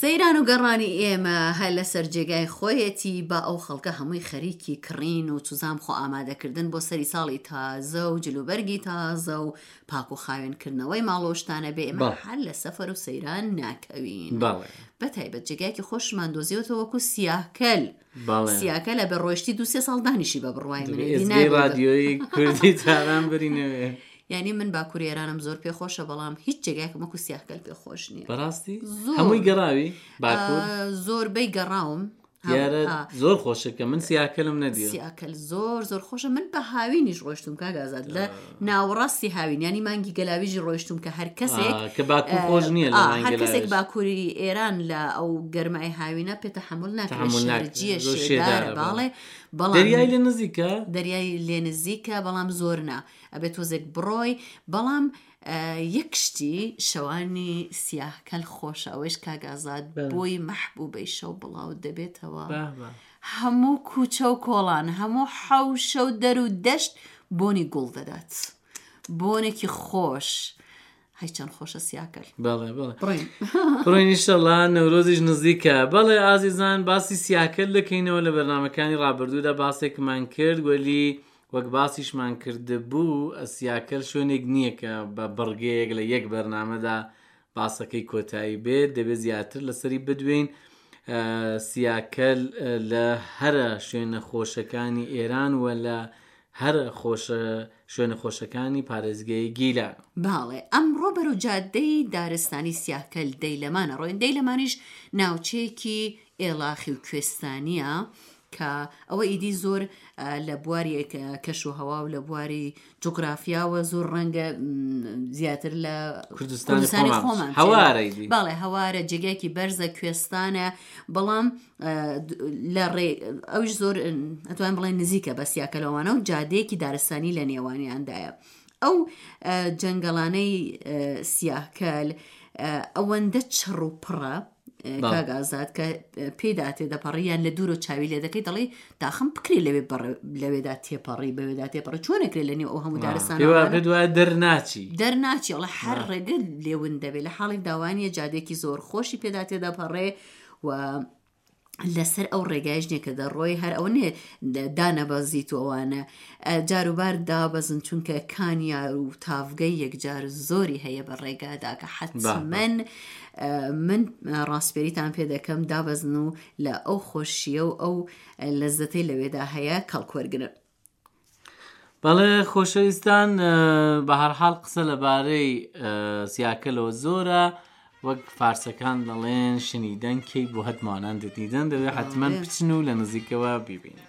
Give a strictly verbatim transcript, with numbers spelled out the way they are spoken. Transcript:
سەیران و گەڕانی ئێمە هەر لەسەر جێگای خۆیەتی، با ئەو خەڵکە هەمووی خەریکی کڕین و چوزام خۆ ئامادەکردن بۆ سەری ساڵی تازە و جلوبەرگی تازە و پاک و خاوێنکردنەوەی ماڵ و شتانە بێ، ئێمە هەر لە سەفەر و سەیران ناکەوین. بە تایبەت جێگایەکی خۆشمان دۆزیوەتەوە وەکو سیاکەل. سیاکەل ئەبێ ڕۆیشتی دوو سێ ساڵ دانیشی بە بڕوای من. ئێزگەی ڕادیۆیی کوردی تاران برینەوێ. یعنی من باکووری ئێرانم زۆر پێخۆشە، بەڵام هیچ جێگایەکم وەکو سیاکەل پێخۆش نییە. بەڕاستی؟ هەمووی گەڕاوی باکوور؟ زۆربەی گەڕاوم. دیارە زۆر خۆشە کە من سیاکەلم نەدیوە. سیاکەل زۆر زۆر خۆشە. من بە هاوینیش ڕۆیشتم کاک ئازاد، لە ناوەڕاستی هاوین، یعنی مانگی گەلاویژی ڕۆیشتم کە هەر کەسێک کە باکوور خۆش نییە لە مانگی هەر کەسێک باکووری ئێران لە ئەو گەرمای هاوینە پێ تەحەمول ناکرێت، شەرجیە شێدارە، باڵێ. بەڵام دەریای لێ نزیکە؟ دەریای لێ نزیکە، بەڵام زۆر نا، ئەبێت تۆزێک بڕۆی. بەڵام یەک شتی شەوانی سیاکەل خۆشە، ئەوەیش کاک ئازاد بۆی مەحبوبەی شەو بڵاو دەبێتەوە. هەموو کوچە و کۆڵان، هەموو حەوشە و دەر و دەشت بۆنی گوڵ دەدات، بۆنێکی خۆش. هەی چەند خۆشە سیاکەل. بەڵێ بەڵێ بڕۆین ئینشەڵڵا نەورۆزیش نزیکە. بەڵێ ئازیزان، باسی سیاکەل دەکەینەوە. لە بەرنامەکانی ڕابردوودا باسێکمان کرد، وەلی وەک باسیشمان کردبوو سیاکەل شوێنێک نییە کە بە بڕگەیەک لە یەک بەرنامەدا باسەکەی کۆتایی بێت، دەبێت زیاتر لەسەری بدوێین. سیاکەل لە هەرە شوێنە خۆشەکانی ئێران و لە هەرە خۆشە شوێنە خۆشەکانی پارێزگەی گیلان. باڵێ ئەمڕۆ بەرەو جادەی دارستانی سیاکەل دەیلەمانە ڕۆین. دەیلەمانیش ناوچەیەکی ئێڵاخی و کوێستانیە کە ئەوە ئیدی زۆر لە بواری کەش و هەوا و لە بواری جوگرافیاوە زۆر ڕەنگە زیاتر لە کوردستانی خۆمان هەوارە. بەڵێ هەوارە، جێگایەکی بەرزە، کوێستانە، بەڵام لە ڕێ ئەویش زۆر ئەتوانم بڵێن نزیکە بە سیاکەلەوانە و جادەیەکی دارستانی لە نێوانیاندایە. ئەو جەنگەڵانەی سیاکەل ئەوەندە چڕ و پڕە کاک ئازاد کە پێدا تێدەپەڕی یان لە دوورەوە چاوی لێ دەکەی دەڵێی داخم بکرێ لەوێ لەوێدا تێپەڕی، بەوێدا تێپەڕی، چۆنەکرێ لە نێو ئەو هەموو دارستانە دوای دەرناچی دەرناچی، ئەڵێ هەر ڕێگە لێون دەبێ. لە حاڵێک داوانیە جادێکی زۆر خۆشی پێدا تێدەپەڕێ و لەسەر ئەو ڕێگایش نییە کە دەڕۆی، هەر ئەوە نییە دانەبەزیت و ئەوانە جاروبار دابەزن، چونکە کانیار و تاڤگەی یەکجار زۆری هەیە بە ڕێگادا کە حەتمەن من ڕاستپێریتان پێ دەکەم دابەزن و لە ئەو خۆشیە و ئەو لەزەتەی لەوێدا هەیە کەڵک وەرگرن. بەڵێ خۆشەویستان، بە هەرحاڵ قسە لەبارەی سیاکەلەوە زۆرە. وەک فارسەکان دەڵێن شنیدەن کەی بۆ هەتمانان دەدیدەن، دەبێت حتمما بچن و لە نزیکەوە بیبینن.